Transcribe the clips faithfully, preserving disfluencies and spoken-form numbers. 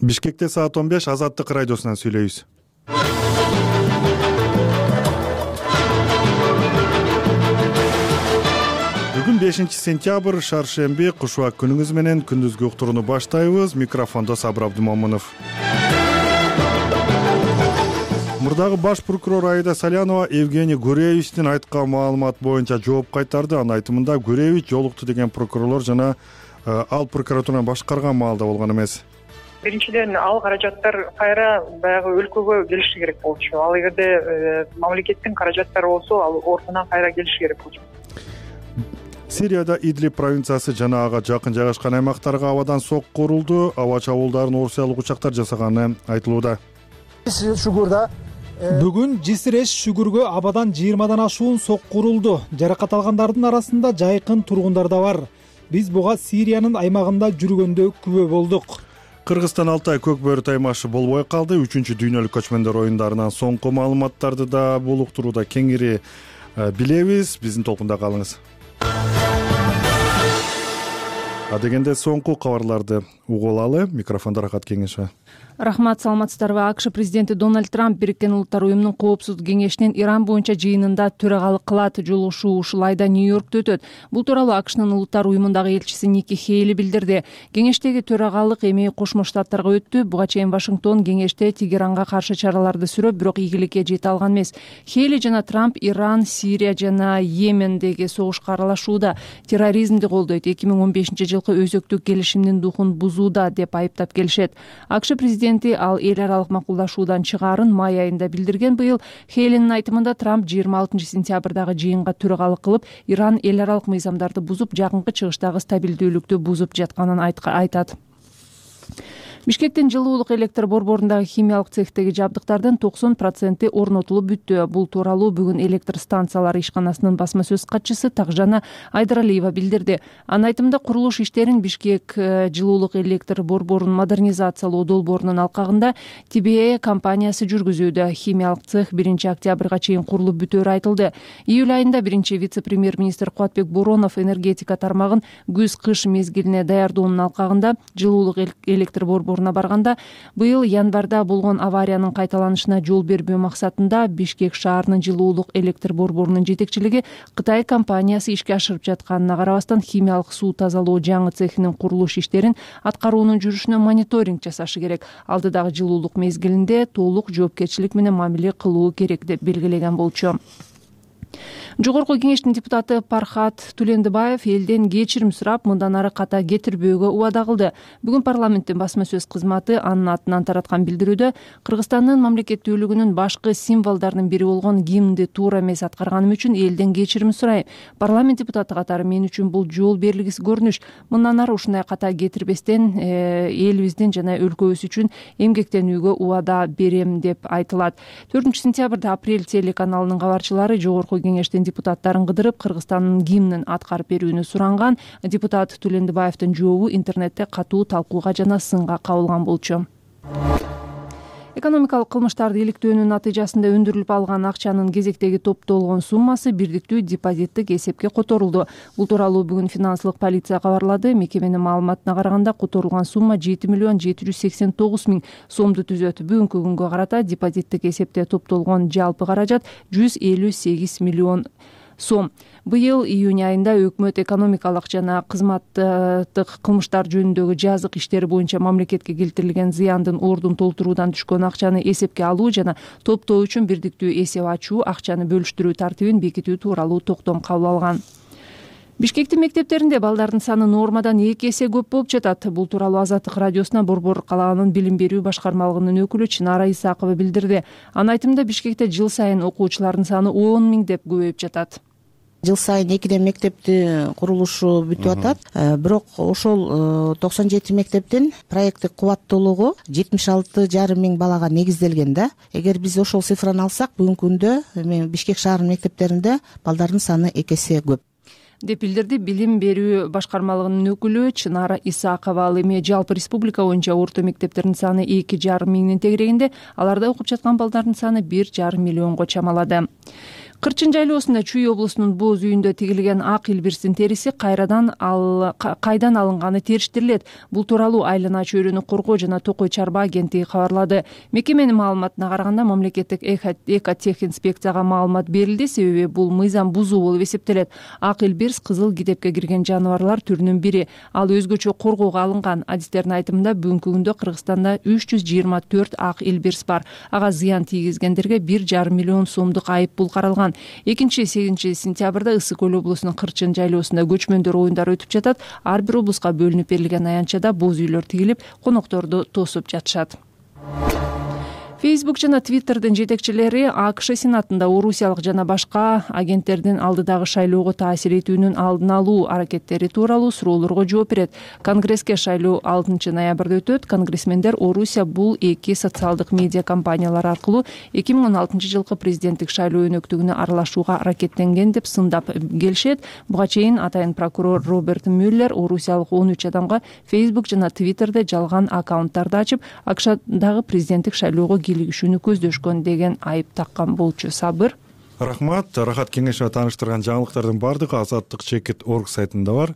Бишкекте саат он беш Азаттык радиосунан сүйлөйбүз. Бүгүн бешинчи сентябрь, шаршемби, кушубак күнүңүз менен күндүзгү уктурууну баштайбыз. Микрофондо Сабыр Абдымомунов. Мурдагы баш прокурор Аида Салянова Евгений Гуревичтин айткан маалымат боюнча жооп кайтарды. Анын айтымында Гуревич жолукту деген прокурорлор жана ал прокуратураны башкарган маалда болгон эмес. Биринчиден, ал каражаттар кайра баягы өлкөгө келиши керек болчу. Ал эгерде мамлекеттин каражаттары болсо, ал ортунан кайра келиши керек болчу. Сирияда Идлиб провинциясы жана ага жакын жайгашкан аймактарга абадан сокку урулду. Аба чабуулдарын орусиялык учактар жасаганы айтылууда. Бүгүн Жисиреш Шүгүргө абадан жыйырмадан ашуун сокку урулду. Жаракат алгандардын арасында жайкын тургундар да бар. Биз буга Сириянын аймагында жүргөндө күбө болдук. Кыргызстан Алтай көк бөрү таймашы болбой калды. Үчүнчү дүйнөлүк көчмөндөр оюндарынан соңку маалыматтарды да бул уктурууда кеңири билебиз. Биздин толкунда калыңыз. Адегенде соңку кабарларды угуп алалы. Микрофондо Рахат Кеңешова. Рахмат, саламатсыздарбы? АКШ президенти Дональд Трамп Бириккен Улуттар уюмунун коопсуздук кеңешинин Иран боюнча жыйынында төрагалык кылат. Жолугушуу ушул айда Нью-Йоркто өтөт. Бул тууралуу АКШнын Улуттар уюмундагы элчиси Ники Хейли билдирди. Кеңештеги төрагалык эми Кошмо Штаттарга өттү. Буга чейин Вашингтон кеңеште Тегеранга каршы чараларды сүрөп, бирок ийгиликке жете алган эмес. Хейли жана Трамп Иран, Сирия жана Йемендеги согушка аралашууда, терроризмди колдойт, эки миң он бешинчи жылкы өзөктүк келишимдин духун бузууда деп айыптап келишет. АКШ президенти ал эл аралык макулдашуудан чыгаарын май айында билдирген. Быйыл Хейлинин айтымында Трамп жыйырма алтынчы сентябрдагы жыйынга төрагалык кылып, Иран эл аралык мыйзамдарды бузуп, жакынкы чыгыштагы стабилдүүлүктү бузуп жатканын айтат. Бишкектин жылуулук электр борборундагы химиялык цехтеги жабдыктардын токсон проценти орнотулуп бүттү. Бул тууралуу бүгүн электр станциялары ишканасынын басма сөз катчысы Такжана Айдаралиева билдирди. Анын айтымында курулуш иштерин Бишкек жылуулук электр борборун модернизациялоо долбоорунун алкагында Ти Би Э компаниясы жүргүзүүдө. Химиялык цех биринчи октябрга чейин курулуп бүтөөрү айтылды. Июль айында биринчи вице-премьер-министр Кубатбек Боронов энергетика тармагын күз-кыш мезгилине даярдоонун алкагында жылуулук электр борбору барганда, быйыл январда болгон авариянын кайталанышына жол бербөө максатында Бишкек шаарынын жылуулук электр борборунун жетекчилиги Кытай компаниясы ишке ашырып жатканына карабастан химиялык суу тазалоо жаңы цехинин курулуш иштерин аткаруунун жүрүшүнө мониторинг жасашы керек. Алдыдагы жылуулук мезгилинде толук жоопкерчилик менен мамиле кылуу керек деп белгилеген болчу. Жогорку кеңештин депутаты Пархат Тулендибаев элден кечирим сурап, мындан ары ката кетирбөөгө убада кылды. Бүгүн парламенттин басма сөз кызматы анын атынан тараткан билдирүүдө Кыргызстандын мамлекеттүүлүгүнүн башкы символдорунун бири болгон гимнди туура эмес аткарганым үчүн элден кечирим сурайм. Парламент депутаты катары мен үчүн бул жол бергис көрүнүш. Мындан ары ушундай ката кетирбестен элибиздин жана өлкөбүз үчүн эмгектенүүгө убада берем деп айтылат. төртүнчү сентябрда Апрель телеканалынын кабарчылары жогорку кеңештин депутаттарын кыдырып, Кыргызстандын гимнин аткарып берүүнү суранган. Депутат Тулендибаевдин жообу интернетте катуу талкууга жана сынга кабылган болчу. Экономикалык кылмыштарды иликтөөнүн натыйжасында өндүрүлүп алган акчанын кезектеги топтолгон суммасы бирдиктүү депозиттик эсепке которулду. Бул тууралуу бүгүн финансылык полиция кабарлады. Мекеменин маалыматына караганда, которулган сумма жети миллион жети жүз сексен тогуз миң сомду түзөт. Бүгүнкү күнгө карата депозиттик эсепте топтолгон жалпы каражат жүз элүү сегиз миллион сом. Быйыл июнь айында өкмөт экономикалык жана кызматтык кылмыштар жөнүндөгү жазык иштери боюнча мамлекетке келтирилген зыяндын ордун толтуруудан түшкөн акчаны эсепке алуу жана топтоо үчүн бирдиктүү эсеп ачуу, акчаны бөлүштүрүү тартибин бекитүү тууралуу токтом кабыл алган. Бишкектин мектептеринде балдардын саны нормадан эки эсе көп болуп жатат. Бул тууралуу Азаттык радиосуна Борбор калаанын билим берүү башкармалыгынын өкүлү Чынара Исакова билдирди. Анын айтымында Бишкекте жыл сайын окуучулардын саны он миң деп көбөйүп жатат. Жыл сайын экиден мектепти курулушу бүтүп атат. Бирок ошол токсон жети мектептин проекттик кубаттуулугу жетимиш алты жарым миң балага негизделген да. Эгер биз ошол цифраны алсак, бүгүнкү күндө Бишкек шаарынын мектептеринде балдардын саны эки эсе көп деп билдирди билим берүү башкармалыгынын өкүлү Чынара Исакова. Ал эми жалпы республика боюнча орто мектептердин саны эки жарым миңдин тегерегинде, аларда окуп жаткан балдардын саны бир жарым миллионго чамалады. Кырчын жайлоосунда Чүй облусунун Боз үйүндө тигилген ак илбирстин териси кайрадан ал кайдан алынганы териштирилет. Бул тууралуу айлана чөйрөнү коргоо жана Токой чарба агенттиги кабарлады. Мекеменин маалыматына караганда мамлекеттик экотех инспекцияга маалымат берилди, себеби бул мыйзам бузуу болуп эсептелет. Ак илбирс кызыл китепке кирген жаныбарлар түрүнүн бири. Ал өзгөчө коргоого алынган. Адистердин айтымында бүгүнкү күндө Кыргызстанда үч жүз жыйырма төрт ак илбирс бар. Ага зыян тийгизгендерге бир жарым миллион сомдук айып пул каралган. экинчи сегизинчи сентябрда Ысык көл облусунун Кырчын жайлоосунда көчмөндөр оюндары өтүп жатат. Ар бир облуска бөлүнүп берилген аянтчада боз үйлөр тигилип, конокторду тосуп жатышат. Facebook жана Twitterдин жетекчилери АКШ Сенатында орусиялык жана башка агенттердин алдыдагы шайлоого таасир этүүнүн алдын алуу аракеттери тууралуу суроолорго жооп берет. Конгресске шайлоо алтынчы ноябрда өтөт. Конгрессмендер Орусия бул эки социалдык медиа компаниялар аркылуу эки миң он алтынчы жылкы президенттик шайлоо өнөктүгүнө аралашууга аракеттенген деп сындап келишет. Буга чейин атайын прокурор Роберт Мюллер орусиялык он үч адамга Facebook жана Twitterде жалган аккаунттарды ачып, АКШдагы президенттик шайлоого кийлигишүүнү көздөшкөн деген айып таккан болчу. Сабыр. Рахмат. Рахат кеңешине тааныштырган жаңылыктардын баардыгы азаттык чекит орг сайтында бар.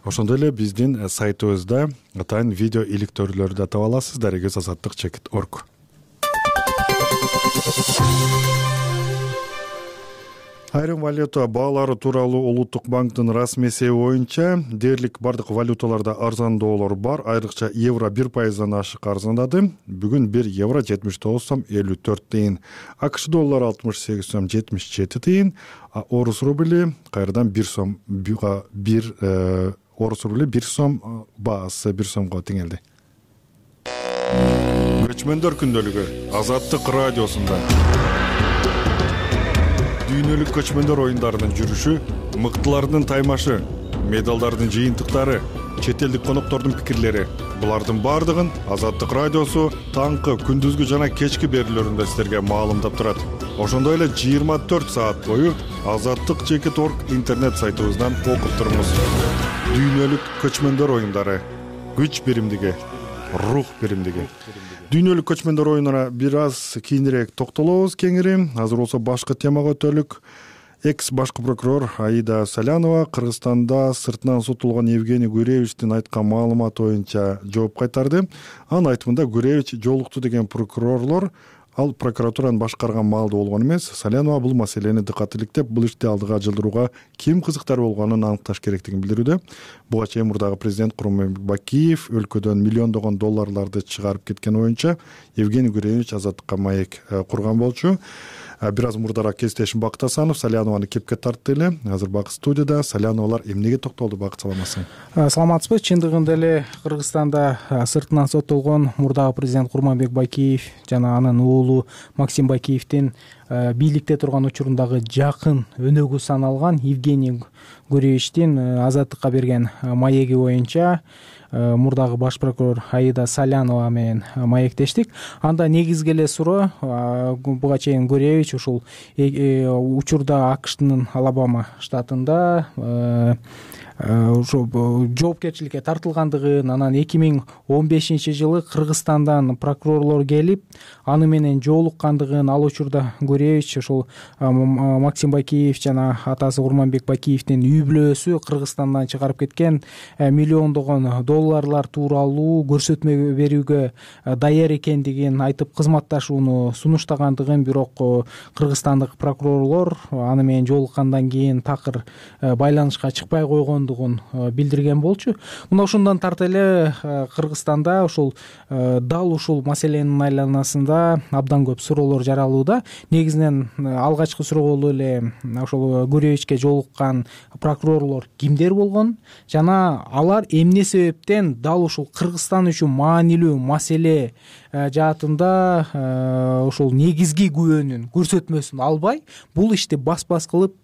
Ошондой эле биздин сайтыбызда атайын видео иликтөөлөрдү да таба аласыз. Дарегиз азаттык чекит орг. Айрым валюта баалары тууралуу Улуттук банктын расмий эсеби боюнча дээрлик бардык валюталарда арзандоолор бар. Айрыкча евро бир пайыздан ашык арзандады. Бүгүн бир евро жетимиш тогуз сом элүү төрт тыйын, АКШ доллары алтымыш сегиз сом жетимиш жети тыйын, а орус рубли кайрадан бир сом бир орус рубли бир сом баасы бир сомго теңелди. Көчмөндөр күндөлүгү Азаттык радиосунда. Дүйнөлүк көчмөндөр оюндарынын жүрүшү, мыктылардын таймашы, медалдардын жыйынтыктары, чет элдик коноктордун пикирлери. Булардын баардыгын Азаттык радиосу таңкы, күндүзгү жана кечки берүүлөрүндө силерге маалымдап турат. Ошондой эле жыйырма төрт саат бою азаттык чекит орг интернет сайтыбыздан окуп туруңуз. Дүйнөлүк көчмөндөр оюндары, күч биримдиги, рух биримдиги. Дүйнөлүк көчмөндөр оюнуна бир аз кийинирээк токтолобуз кеңири. Азыр болсо башкы темага өтөлүк. Экс башкы прокурор Аида Салянова Кыргызстанда сыртынан сотулган Евгений Гуревичтин айткан маалыматы боюнча жооп кайтарды. Анын айтымында Гуревич жолукту деген прокурорлор ал прокуратуранын башкарган маалда болгон эмес. Салянова бул маселени дыкат иликтеп, бул ишти алдыга жылдырууга ким кызыктар болгонун аныкташ керектигин билдирүүдө. Буга чейин мурдагы президент Курманбек Бакиев өлкөдөн миллиондогон долларларды чыгарып кеткен боюнча Евгений Гуревич азаттыкка маек курган болчу. Бир аз мурдараак Кесиптешим Бакыт Асанов Салянованы кепке тартты эле. Азыр Бакыт студияда. Саляновалар эмнеге токтолду? Бакыт, саламатсың? Саламатсызбы? Чындыгында эле Кыргызстанда сыртынан соттолгон мурдагы президент Курманбек Бакиев жана анын уулу Максим Бакиевдин бийликте турган учурундагы жакын өнөгү саналган Евгений Гуревичтин азаттыкка берген маеги боюнча мурдагы баш прокурор Аида Салянова менен маектештик. Анда негизги эле суроо буга чейин Гуревич ушул учурда АКШнын Алабама штатында ошо жоопкерчиликке тартылгандыгын, анан эки миң он бешинчи жылы Кыргызстандан прокурорлор келип аны менен жолуккандыгын, ал учурда Гуревич ошол Максим Бакиев жана атасы Курманбек Бакиевдин үй бүлөсү Кыргызстандан чыгарып кеткен миллиондогон долларлар тууралуу көрсөтмө берүүгө даяр экендигин айтып кызматташууну сунуштагандыгын, бирок кыргызстандык прокурорлор аны менен жолуккандан кийин такыр байланышка чыкпай койгон билдирген болчу. Мына ошондон тарта эле Кыргызстанда ушул дал ушул маселенин айланасында абдан көп суроолор жаралууда. Негизинен алгачкы суроо эле ошол Гуревичке жолуккан прокурорлор кимдер болгон жана алар эмне себептен дал ушул Кыргызстан үчүн маанилүү маселе жаатында ушул негизги күбөнүн көрсөтмөсүн албай бул ишти бас-бас кылып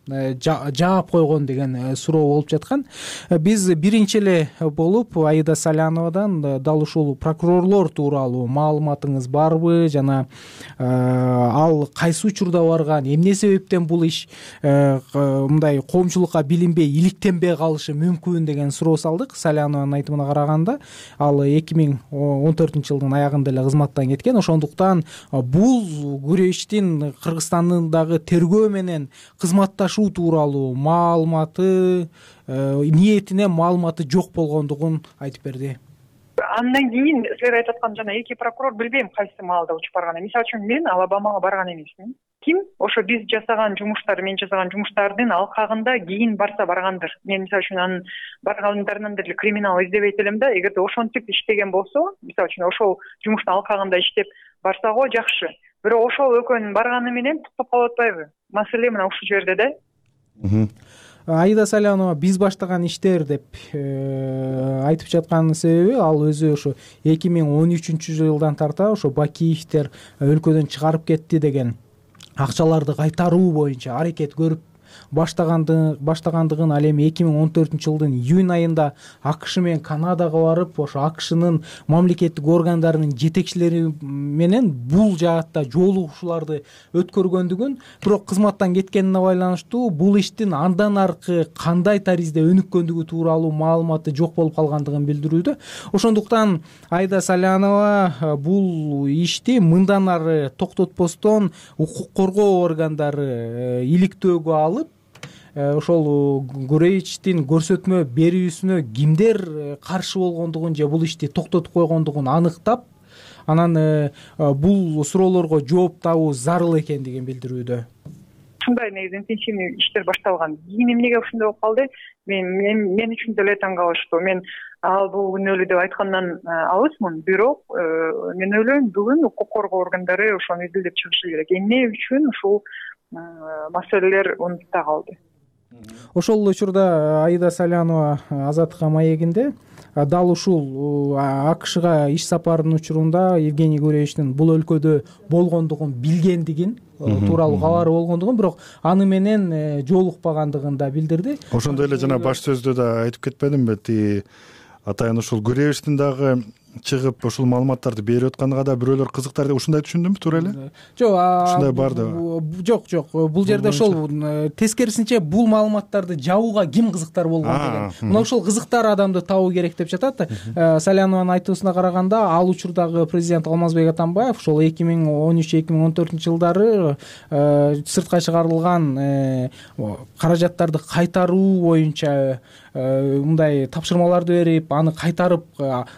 жаап койгон деген суроо болуп жаткан. Биз биринчи эле болуп Аида Саляновадан дал ушул прокурорлор тууралуу маалыматыңыз барбы жана ал кайсы учурда барган, эмне себептен бул иш мындай коомчулукка билинбей иликтенбей калышы мүмкүн деген суроо салдык. Салянованын айтымына караганда ал эки миң он төртүнчү жылдын аягында эле кызматтан кеткен. Ошондуктан бул Гуревичтин Кыргызстандагы тергөө менен кызматташуу тууралуу маалыматы, ниетине маалыматы жок болгондугун айтып берди. Андан кийин силер айтып аткан жана эки прокурор билбейм кайсы маалда учуп барганын. Мисалы үчүн мен Алабамага барган эмесмин. Ким ошо биз жасаган жумуштар, мен жасаган жумуштардын алкагында кийин барса баргандыр. Мен мисалы үчүн анын баргандарынан деле криминал издебейт элем да. Эгерде ошентип иштеген болсо, мисалы үчүн ошол жумуштун алкагында иштеп барса го жакшы. Бирок ошол экөөнүн барганы менен токтоп калып атпайбы? Маселе мына ушул жерде да. Аида Салянова биз баштаган иштер деп айтып жаткан себеби ал өзү ошо эки миң он үчүнчү жылдан тарта ошо Бакиевдер өлкөдөн чыгарып кетти деген акчаларды кайтаруу боюнча аракет көрүп баштагандыгын ал эми эки миң он төртүнчү жылдын июнь айында АКШ менен Канадага барып, ошо АКШнын мамлекеттик органдарынын жетекчилери менен бул жаатта жолугушууларды өткөргөндүгүн, бирок кызматтан кеткенине байланыштуу бул иштин андан аркы кандай таризде өнүккөндүгү тууралуу маалыматы жок болуп калгандыгын билдирүүдө. Ошондуктан Аида Салянова бул ишти мындан ары токтотпостон укук коргоо органдары иликтөөгө алып, ошол Гуревичтин көрсөтмө берүүсүнө кимдер каршы болгондугун же бул ишти токтотуп койгондугун аныктап, анан бул суроолорго жооп табуу зарыл экендигин билдирүүдө. Ушундай негизи интенсивный иштер башталган. Кийин эмнеге ушундай болуп калды? Мен мен мен үчүн деле таң калыштуу. Мен ал бул күнөөлүү деп айткандан алысмын, бирок мен ойлойм бүгүн укук коргоо органдары ошону изилдеп чыгышы керек. Эмне үчүн ушул маселелер унутта калды? Ошол учурда Аида Салянова Азаттыкка маегинде дал ушул АКШга иш сапарынын учурунда Евгений Гуревичтин бул өлкөдө болгондугун билгендигин тууралуу кабары болгондугун, бирок аны менен жолукпагандыгын да билдирди. Ошондой эле жана баш сөздө да айтып кетпедимби, ти атайын ушул Гуревичтин дагы чыгып ушул маалыматтарды берип атканга да бирөөлөр кызыктар деп ушундай түшүндүмбү, туура эле? Жок, ушундай бар да. Жок, жок. Бул жерде ошол тескерисинче бул маалыматтарды жабууга ким кызыктар болгон деген. Мына ошол кызыктар адамды табуу керек деп жатат. Салянованын айтуусуна караганда, ал учурдагы президент Алмазбек Атамбаев ошол эки миң он үч эки миң он төртүнчү жылдары сыртка чыгарылган каражаттарды кайтаруу боюнча мындай тапшырмаларды берип, аны кайтарып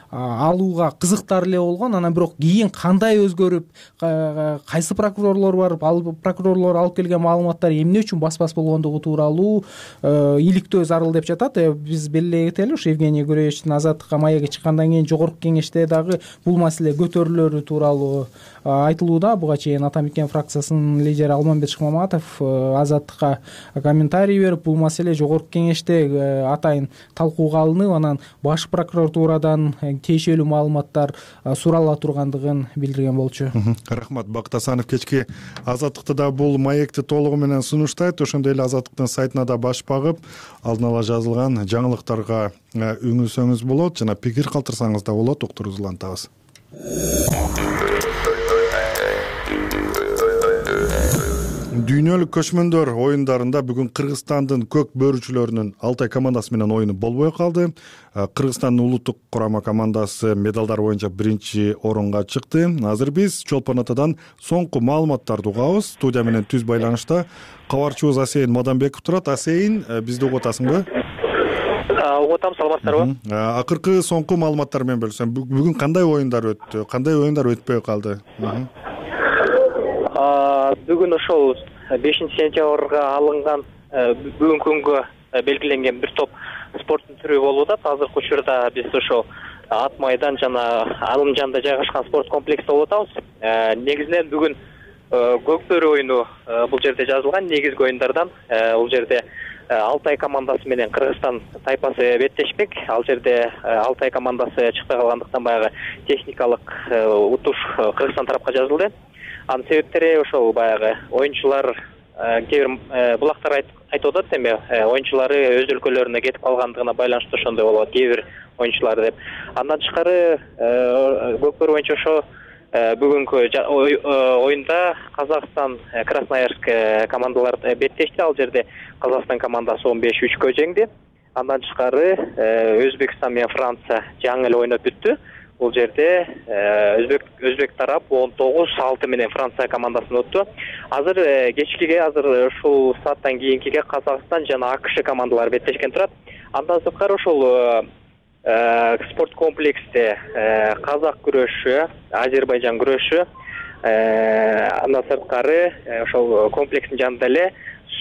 алууга кызыктар эле болгон. Анан бирок кийин кандай өзгөрүп, кайсы прокурорлор барып, ал прокурорлор алып келген маалыматтар эмне үчүн баспас болгондугу тууралуу иликтөө зарыл деп жатат. Биз белгилей кетели, ушу Евгений Гуревичтин Азаттыкка маегге чыккандан кийин жогорку кеңеште дагы бул маселе көтөрүлөрү тууралуу айтылууда. Буга чейин Атамекен фракциясынын лидери Алмамбет Шыкмаматов Азаттыкка комментарий берип, бул маселе жогорку кеңеште атайын талкууга алынып, анан баш прокуратурадан тиешелүү маалыматтар сурала тургандыгын билдирген болчу. Рахмат, Бакыт Асанов кечки Азаттыкты да бул маекти толугу менен сунуштайт. Ошондой эле Азаттыктын сайтына да баш багып, алдын ала жазылган жаңылыктарга үңүлсөңүз болот жана пикир калтырсаңыз да болот. Уктуруубузду улантабыз. Дүйнөлүк көчмөндөр оюндарында бүгүн Кыргызстандын көк бөрүчүлөрүнүн Алтай командасы менен оюну болбой калды. Кыргызстандын улуттук курама командасы медалдар боюнча биринчи орунга чыкты. Азыр биз Чолпон Атадан соңку маалыматтарды угабыз. Студия менен түз байланышта кабарчыбыз Асейин Мадамбеков турат. Асейин, бизди угуп атасыңбы? Угуп атам, саламатсыздарбы? Акыркы соңку маалыматтар менен бөлүшсөм, бүгүн кандай оюндар өттү? Кандай оюндар өтпөй калды? Бүгүн ошол бешинчи сентябрга алынган, бүгүнкү күнгө белгиленген бир топ спорттун түрү болуп атат. Азыркы учурда биз ошол Ат майдан жана Алымжанда жайгашкан спорт комплексте болуп атабыз. Негизинен бүгүн көк бөрү оюну бул жерде жазылган. Негизги оюндардан бул жерде Алтай командасы менен Кыргызстан тайпасы беттешпек. Ал жерде Алтай командасы чыкпай калгандыктан баягы техникалык утуш Кыргызстан тарапка жазылды. Анын себептери ошол баягы оюнчулар кээ бир булактар айтып атат эми оюнчулары өз өлкөлөрүнө кетип калгандыгына байланыштуу ошондой болуп атат кээ бир оюнчулар деп. Андан тышкары Көкбөр боюнча ошо бүгүнкү оюнда Казакстан, Красноярск командалар беттешти. Ал жерде Казакстан командасы он беш үчкө жеңди. Андан тышкары Өзбекстан менен Франция жаңы эле ойноп бүттү. Бул жерде өзбек өзбек тарап он тогуз алты менен Франция командасын утту. Азыр кечкиге азыр ушул сааттан кийинкиге Казакстан жана АКШ командалары беттешкен турат. Андан сырткары ошол спорт комплексте казак күрөшү, Азербайжан күрөшү, андан сырткары ошол комплекстин жанында эле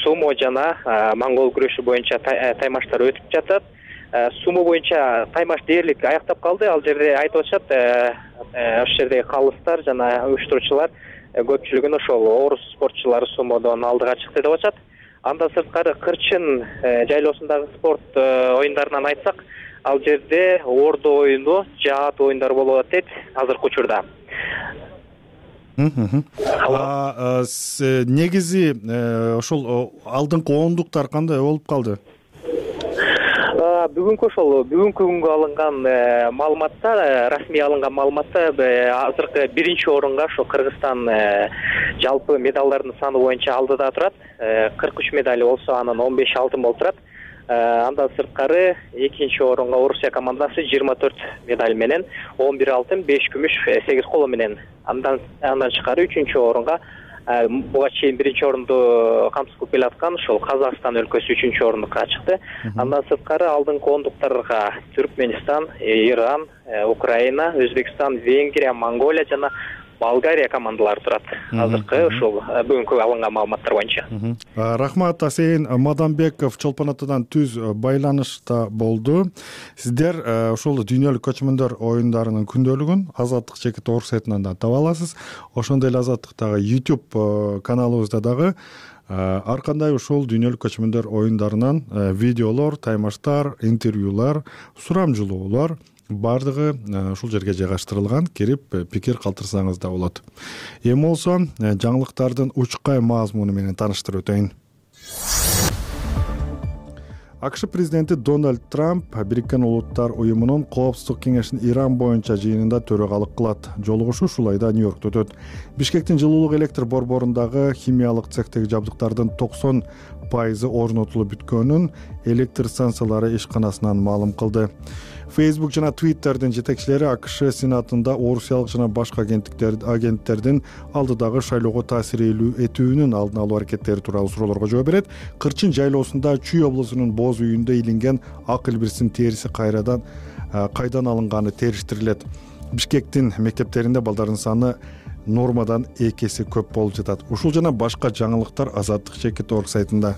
сумо жана монгол күрөшү боюнча таймаштар өтүп жатат. Сумо боюнча таймаш дээрлик аяктап калды. Ал жерде айтып атышат, ошол жердеги калыстар жана уюштуруучулар көпчүлүгүн ошол орус спортчулары сумодон алдыга чыкты деп атышат. Андан сырткары кырчын жайлоосундагы спорт оюндарынан айтсак, ал жерде ордо оюну, жаат оюндар болуп атат дейт азыркы учурда. Негизи ошол алдыңкы ондуктар кандай болуп калды? Бүгүнкү ошол бүгүнкү күнгө алынган маалыматта, расмий алынган маалыматта азыркы биринчи орунга ошо Кыргызстан жалпы медалдардын саны боюнча алдыда турат. кырк үч медали болсо, анын он беш алтын болуп турат. Андан сырткары экинчи орунга Орусия командасы жыйырма төрт медаль менен он бир алтын, беш күмүш, сегиз коло менен. Андан андан тышкары үчүнчү орунга буга чейин биринчи орунду камсыз кылып келаткан ошол Казакстан өлкөсү үчүнчү орундукка чыкты. Андан сырткары алдыңкы ондуктарга Түркменистан, Иран, Украина, Өзбекстан, Венгрия, Монголия жана Болгария командалары турат. Азыркы ошол бүгүнкү алынган маалыматтар боюнча. Рахмат, Асейин Мадамбеков Чолпон атадан түз байланышта болду. Сиздер ошол дүйнөлүк көчмөндөр оюндарынын күндөлүгүн Азаттык чекит орг сайтынан да таба аласыз. Ошондой эле Азаттыктагы YouTube каналыбызда дагы ар кандай ушул дүйнөлүк көчмөндөр оюндарынан видеолор, таймаштар, интервьюлар, сурамжылоолор бардыгы ушул жерге жайгаштырылган. Кирип пикир калтырсаңыз да болот. Эми болсо жаңылыктардын учкай мазмуну менен тааныштырып өтөйүн. АКШ президенти Дональд Трамп Бириккен Улуттар уюмунун Коопсуздук кеңешинин Иран боюнча жыйынында төрагалык кылат. Жолугушуу ушул айда Нью-Йоркто өтөт. Бишкектин жылуулук электр борборундагы химиялык цехтеги жабдыктардын токсон пайызы орнотулуп бүткөнүн электр станциялары ишканасынан маалым кылды. Facebook жана Twitter'дин жетекчилери АКШ Сенатында орусиялык жана башка агенттердин алдыдагы шайлоого таасир этүүнүн алдын алуу аракеттери тууралуу суроолорго жооп берет. Кырчын жайлоосунда Чүй облусунун боз үйүндө илинген ак илбирстин териси кайрадан кайдан алынганы териштирилет. Бишкектин мектептеринде балдардын саны нормадан эки эсе көп болуп жатат. Ушул жана башка жаңылыктар Азаттык чекит орг сайтында.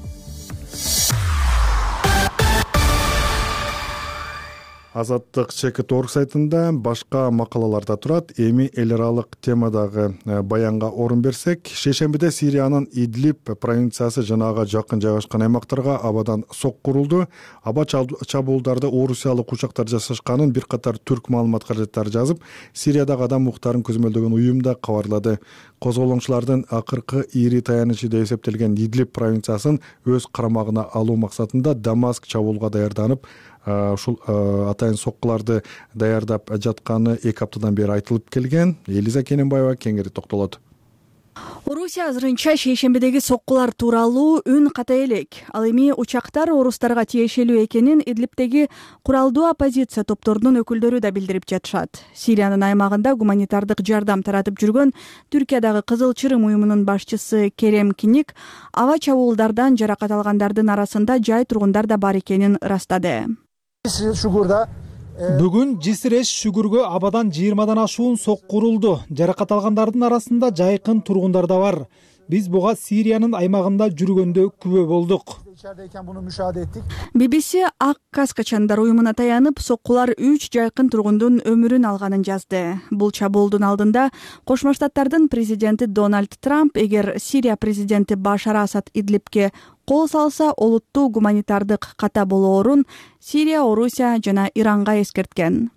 Азаттык чекит орг сайтында башка макалалар да турат. Эми эл аралык темадагы баянга орун берсек, шейшембиде Сириянын Идлиб провинциясы жана ага жакын жайгашкан аймактарга абадан сок курулду. Аба чабуулдарда орусиялык учактар жасашканын бир катар түрк маалымат каражаттары жазып, Сириядагы адам укуктарын көзөмөлдөгөн уюм да кабарлады. Козголоңчулардын акыркы ири таянычы деп эсептелген Идлиб провинциясын өз карамагына алуу максатында Дамаск чабуулга даярданып, ушул атайын соккуларды даярдап жатканы эки аптадан бери айтылып келген. Элиза Кененбаева кеңири токтолот. Орусия азырынча шейшембидеги соккулар тууралуу үн ката элек. Ал эми учактар орустарга тиешелүү экенин Идлибтеги куралдуу оппозиция топторунун өкүлдөрү да билдирип жатышат. Сириянын аймагында гуманитардык жардам таратып жүргөн Түркиядагы Кызыл Чырым уюмунун башчысы Керем Киник аба чабуулдардан жаракат алгандардын арасында жай тургундар да бар экенин ырастады. Бүгүн Жисреш Шүгүргө абадан жыйырмадан ашуун сок курулду. Жаракат алгандардын арасында жайкын тургундар да бар. Биз буга Сириянын аймагында жүргөндө күбө болдук. би би си Ак Каскачандар уюмуна таянып, соккулар үч жайкын тургундун өмүрүн алганын жазды. Бул чабуулдун алдында Кошмо Штаттардын президенти Дональд Трамп эгер Сирия президенти Башар Асад Идлибке кол салса, олуттуу гуманитардык ката болоорун Сирия, Орусия жана Иранга эскерткен.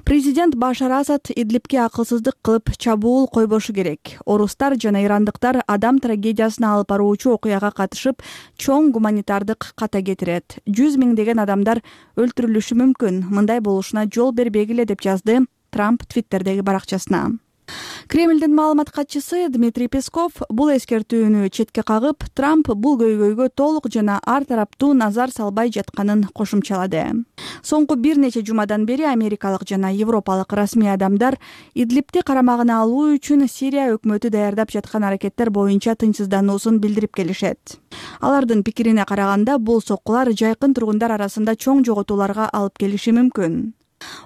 Президент Башар Асад Идлибке акылсыздык кылып чабуул койбошу керек. Орустар жана ирандыктар адам трагедиясына алып баруучу окуяга катышып, чоң гуманитардык ката кетирет. Жүз миңдеген адамдар өлтүрүлүшү мүмкүн. Мындай болушуна жол бербегиле деп жазды Трамп Твиттердеги баракчасына. Кремлдин маалымат катчысы Дмитрий Песков бул эскертүүнү четке кагып, Трамп бул көйгөйгө толук жана ар тараптуу назар салбай жатканын кошумчалады. Соңку бир нече жумадан бери америкалык жана европалык расмий адамдар Идлибти карамагына алуу үчүн Сирия өкмөтү даярдап жаткан аракеттер боюнча тынчсыздануусун билдирип келишет. Алардын пикирине караганда, бул соккулар жайкын тургундар арасында чоң жоготууларга алып келиши мүмкүн.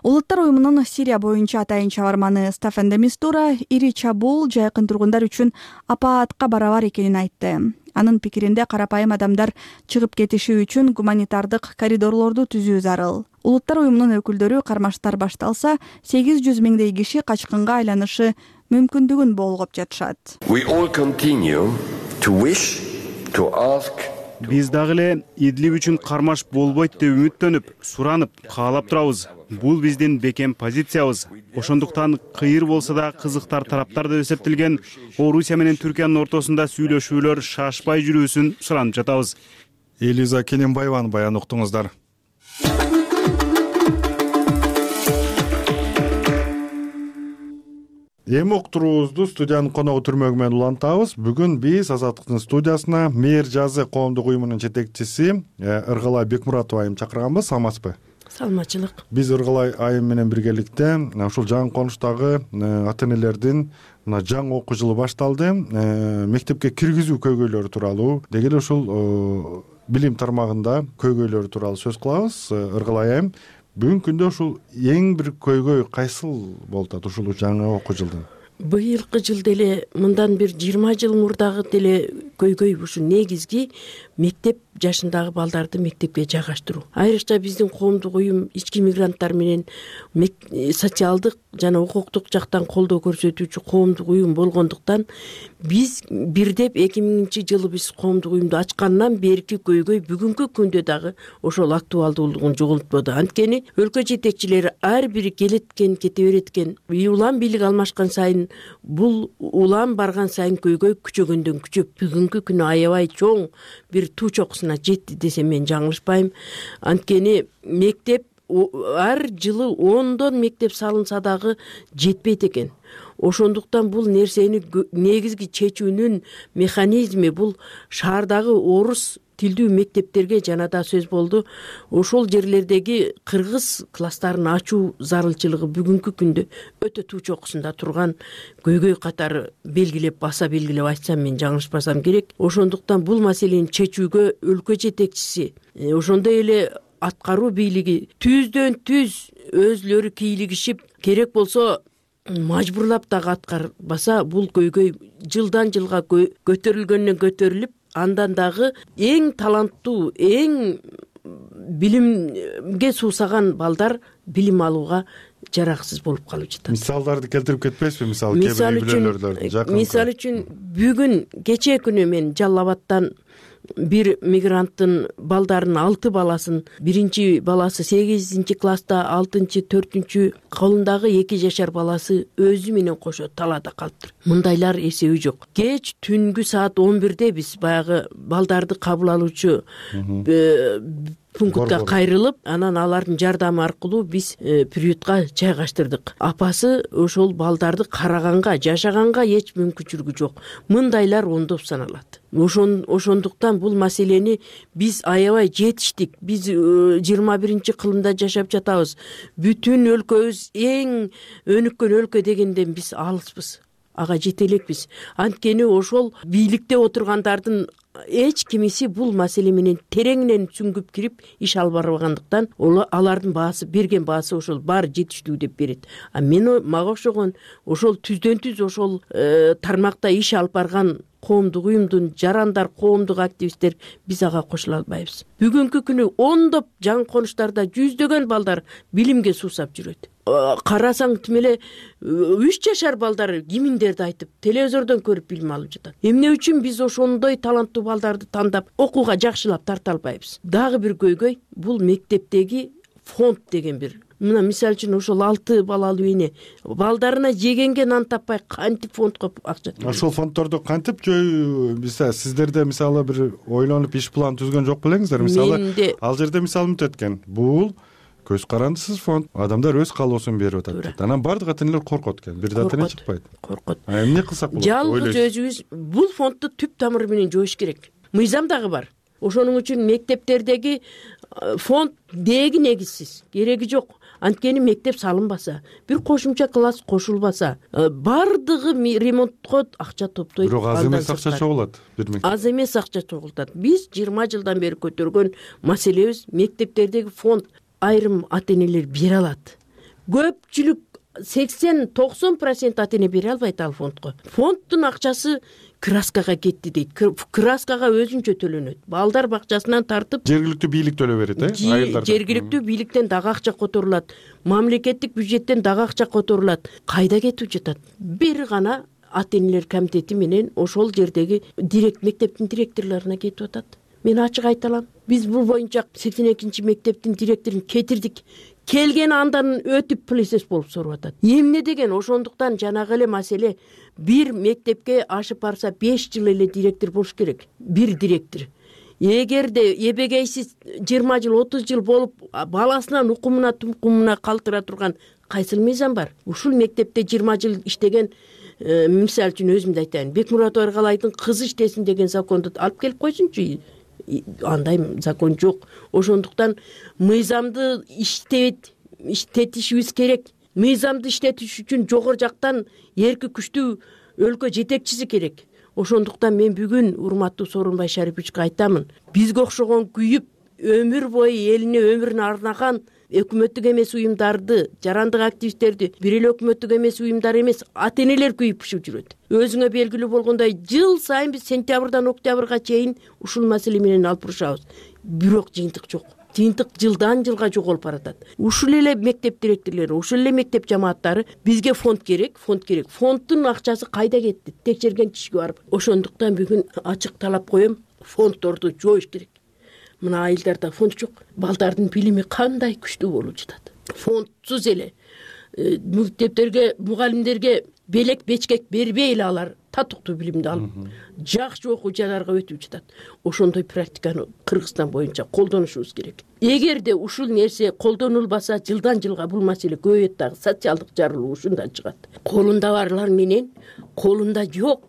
Улуттар уюмунун Сирия боюнча атайын чабарманы Стаффан де Мистура ири чабуул жайкын тургундар үчүн апаатка барабар экенин айтты. Анын пикиринде карапайым адамдар чыгып кетиши үчүн гуманитардык коридорлорду түзүү зарыл. Улуттар уюмунун өкүлдөрү кармаштар башталса, сегиз жүз миңдей киши качкынга айланышы мүмкүндүгүн болгоп жатышат. Биз дагы эле Идлиб үчүн кармаш болбойт деп үмүттөнүп, суранып, каалап турабыз. Бул биздин бекем позициябыз. Ошондуктан кыйыр болсо да кызыктар тараптар деп эсептелген Орусия менен Түркиянын ортосунда сүйлөшүүлөр шашпай жүрүүсүн суранып жатабыз. Элиза Кененбаеванын баянын уктуңуздар. Эми уктуруубузду студиянын коногу Түрмөгү менен улантабыз. Бүгүн биз Азаттыктын студиясына Мээр жазы коомдук уюмунун жетекчиси Ыргалай Бекмуратова айым чакырганбыз. Саламатсызбы? Саламатчылык. Биз Ыргалай айым менен биргеликте ушул жаңы конуштагы ата энелердин мына жаңы окуу жылы башталды. Мектепке киргизүү көйгөйлөрү тууралуу, деги эле ушул билим тармагында көйгөйлөрү тууралуу сөз кылабыз. Ыргалай айым, бүгүнкү күндө ушул эң бир көйгөй кайсыл болуп атат ушул жаңы окуу жылдын? Быйылкы жыл деле мындан бир жыйырма жыл мурдагы деле көйгөй ушу негизги мектеп жашындагы балдарды мектепке жайгаштыруу. Айрыкча биздин коомдук уюм ички мигранттар менен социалдык жана укуктук жактан колдоо көрсөтүүчү коомдук уюм болгондуктан биз бирдеп эки миңинчи жылы биз коомдук уюмду ачкандан берки көйгөй бүгүнкү күндө дагы ошол актуалдуулугун жоготподу. Анткени өлкө жетекчилери ар бири келеткен кете берет экен. Улам бийлик алмашкан сайын бул улам барган сайын көйгөй күчөгөндөн күчөп бүгүнкү күнү аябай чоң бир туу чокусуна жетти десем мен жаңылышпайм. Анткени мектеп ар жылы ондон мектеп салынса дагы жетпейт экен. Ошондуктан бул нерсени негизги чечүүнүн механизми бул шаардагы орус тилдүү мектептерге жана да сөз болду. Ошол жерлердеги кыргыз класстарын ачуу зарылчылыгы бүгүнкү күндө өтө туу чокусунда турган көйгөй катары белгилеп баса белгилеп айтсам мен жаңылышпасам керек. Ошондуктан бул маселени чечүүгө өлкө жетекчиси, ошондой эле аткаруу бийлиги түздөн түз өзүлөрү кийлигишип, керек болсо мажбурлап дагы аткарбаса бул көйгөй жылдан жылга көтөрүлгөндөн көтөрүлүп, андан дагы эң таланттуу, эң билимге суусаган балдар билим алууга жараксыз болуп калып жатат. Мисалдарды келтирип кетпейсизби? Мисалы кээ бир үй-бүлөлөрдө. Мисалы үчүн бүгүн кечээ күнү мен Жалал Абадтан бир мигранттын балдарынын алты баласын, биринчи баласы сегизинчи класста, алтынчы, төртүнчү, колундагы эки жашар баласы өзү менен кошо талаада калыптыр. Мындайлар эсеби жок. Кеч түнгү саат он бирде биз баягы балдарды кабыл алуучу пунктка кайрылып, анан алардын жардамы аркылуу биз приютка жайгаштырдык. Апасы ошол балдарды караганга, жашаганга эч мүмкүнчүлүгү жок. Мындайлар ондоп саналат. Ошон ошондуктан бул маселени биз аябай жетиштик. Биз жыйырма биринчи кылымда жашап жатабыз. Бүтүн өлкөбүз эң өнүккөн өлкө дегенден биз алыспыз. Ага жете элекпиз. Анткени ошол бийликте отургандардын эч кимиси бул маселе менен тереңинен сүңгүп кирип иш алып барбагандыктан алардын баасы, берген баасы ошол баары жетиштүү деп берет. А мен мага окшогон ошол түздөн түз ошол тармакта иш алып барган коомдук уюмдун жарандар, коомдук активисттер биз ага кошула албайбыз. Бүгүнкү күнү ондоп жаңы конуштарда жүздөгөн балдар билимге суусап жүрөт. Карасаң тим эле үч жашар балдар киминдерди айтып, телевизордон көрүп билим алып жатат. Эмне үчүн биз ошондой таланттуу балдарды тандап окууга жакшылап тарта албайбыз? Дагы бир көйгөй бул мектептеги фонд деген бир мына мисалы үчүн ошол алты балалуу эне балдарына жегенге нан таппай кантип фондко акча ошол фонддорду кантип жөө сиздерде мисалы бир ойлонуп иш план түзгөн жок белеңиздер? Мисалы ал жерде мисалы мынтип өткөн, бул көз карандысыз фонд, адамдар өз каалоосун берип атат дейт. Анан баардык ата энелер коркот экен, бир да ата эне чыкпайт. Коркот. Эмне кылсак болот? Жалгыз өзүбүз бул фондду түп тамыры менен жоош керек. Мыйзам дагы бар. Ошонун үчүн мектептердеги фонд деги негизсиз, кереги жок. Анткени мектеп салынбаса, бир кошумча класс кошулбаса, баардыгы ремонтко акча топтойт. Бирок аз эмес акча чогулат бир мектеп. Аз эмес акча чогултат. Биз жыйырма жылдан бери көтөргөн маселебиз мектептердеги фонд айрым ата энелер бере алат. Көпчүлүк сексен токсон процент ата эне бере албайт ал фондко. Фонддун акчасы краскага кетти дейт. Краскага өзүнчө төлөнөт. Балдар бакчасынан тартып жергиликтүү бийлик төлөп берет, э? Айылдарда. Жергиликтүү бийликтен дагы акча которулат. Мамлекеттик бюджеттен дагы акча которулат. Кайда кетип жатат? Бир гана ата энелер комитети менен ошол жердеги директ мектептин директорлоруна кетип атат. Мен ачык айта алам. Биз бул боюнча сексен экинчи мектептин директорун кетирдик. Келген андан өтүп плесес болуп соруп атат. Эмне деген? Ошондуктан жанагы эле маселе бир мектепке ашып барса беш жыл эле директор болуш керек. Бир директор. Эгерде эбегейсиз жыйырма жыл отуз жыл болуп баласынын укумуна тумкумуна калтыра турган кайсыл мыйзам бар? Ушул мектепте жыйырма жыл иштеген, мисалы үчүн өзүмдү айтайын, Бекмурат Ойргалайдын кызы иштесин деген законду алып келип койсунчу. Андай закон жок. Ошондуктан мыйзамды иштет иштетишибиз керек. Мыйзамды иштетиш үчүн жогору жактан эрки күчтүү өлкө жетекчиси керек. Ошондуктан мен бүгүн урматтуу Сооронбай Шариповичке айтамын. Бизге окшогон күйүп өмүр бою элине өмүрүн арнаган өкмөттүк эмес уюмдарды, жарандык активисттерди бир эле өкмөттүк эмес уюмдар эмес, ата энелер күйүп пишип жүрөт. Өзүңө белгилүү болгондой, жыл сайын биз сентябрдан октябрга чейин ушул маселе менен алып урушабыз. Бирок жыйынтык жок. Жыйынтык жылдан жылга жоголуп баратат. Ушул эле мектеп директорлору, ушул эле мектеп жамааттары бизге фонд керек, фонд керек. Фонддун акчасы кайда кетти? Текшерген кишиге барып. Ошондуктан бүгүн ачык талап коем, фонддорду жоош керек. Мына айылдарда фонд жок. Балдардын билими кандай күчтүү болуп жатат. Фондсуз эле мектептерге, мугалимдерге белек бечкек бербей эле алар татыктуу билимди алып, жакшы окуучуларга өтүп жатат. Ошондой практиканы Кыргызстан боюнча колдонушубуз керек. Эгерде ушул нерсе колдонулбаса, жылдан жылга бул маселе көбөйөт, дагы социалдык жарылуу ушундан чыгат. Колунда барлар менен колунда жок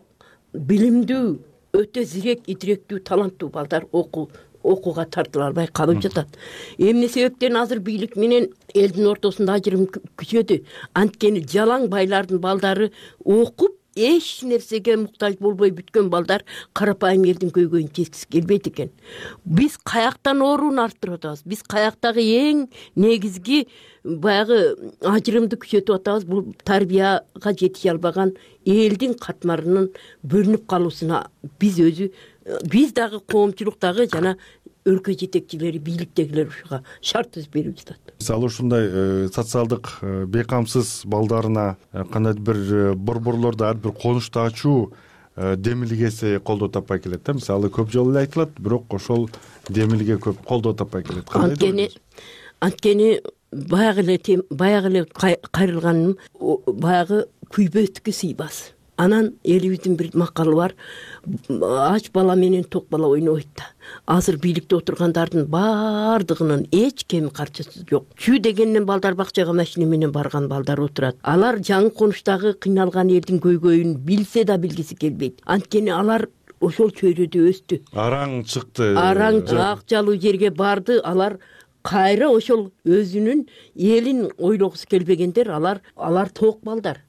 билимдүү, өтө зирек, идиректүү, таланттуу балдар окуу окууга тартыла албай калып жатат. Эмне себептен азыр бийлик менен элдин ортосунда ажырым күчөдү? Анткени жалаң байлардын балдары окуп эч нерсеге муктаж болбой бүткөн балдар карапайым элдин көйгөйүн чечкиси келбейт экен. Биз каяктан орун арттырып атабыз? Биз каяктагы эң негизги баягы ажырымды күчөтүп атабыз? Бул тарбияга жетише албаган элдин катмарынын бөлүнүп калуусуна биз өзү биз дагы коомчулуктагы жана өлкө жетекчилери, бийликтегилер ушуга шарт түзүп берип жатат. Мисалы ушундай социалдык бейкамсыз балдарына кандайдыр бир борборлордо ар бир конушту ачуу демилгеси колдоо таппай келет да. Мисалы көп жолу эле айтылат, бирок ошол демилге көп колдоо таппай келет. Анткени анткени баягы эле баягы эле кайрылганым баягы күйбөткө сыйбас. Анан элибиздин бир макалы бар. Ач бала менен ток бала ойнобойт да. Азыр бийликте отургандардын баардыгынын эч кеми карчысы жок. Чүй дегенден балдар бакчага машина менен барган балдар отурат. Алар жаңы конуштагы кыйналган элдин көйгөйүн билсе да билгиси келбейт. Анткени алар ошол чөйрөдө өстү. Араң чыкты. Араң ак жалуу жерге барды. Алар кайра ошол өзүнүн элин ойлогусу келбегендер. Алар алар ток балдар.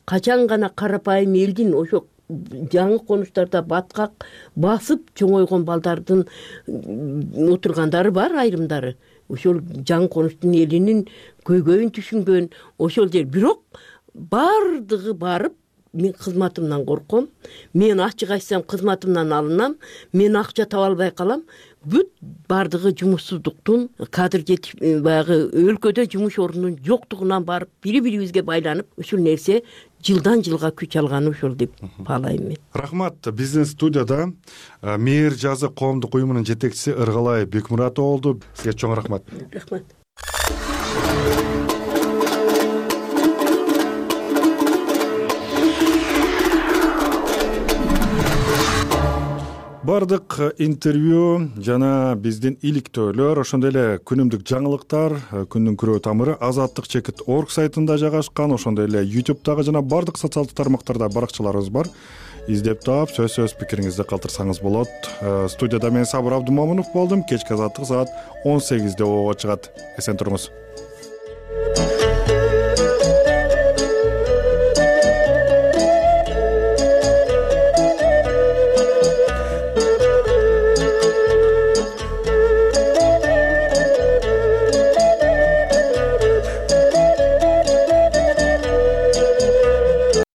Качан гана карапайым элдин ошо жаңы конуштарда баткак басып чоңойгон балдардын отургандары бар, айрымдары. Ошол жаңы конуштун элинин көйгөйүн түшүнгөн ошол жер. Бирок бардыгы барып, мен кызматымдан корком, мен ачык айтсам кызматымдан алынам, мен акча таба албай калам. Бүт бардыгы жумушсуздуктун, кадр жетип баягы өлкөдө жумуш орнунун жоктугунан барып бири-бирибизге байланып, ушул нерсе жылдан жылга күч алганы ошол деп баалайм мен. Рахмат. Биздин студияда Мээр жазы коомдук уюмунун жетекчиси Ыргалай Бекмурат болду. Сизге чоң рахмат. Рахмат. баардык интервью жана биздин иликтөөлөр ошондой эле күнүмдүк жаңылыктар күндүн күрөө тамыры азаттык чекит орг сайтында жайгашкан, ошондой эле ютубтагы жана баардык социалдык тармактарда баракчаларыбыз бар. Издеп таап сөз сөз пикириңизди калтырсаңыз болот. Студияда мен Сабыр Абдымомунов болдум. Кечки азаттык саат он сегизде ого чыгат. Эсен туруңуз.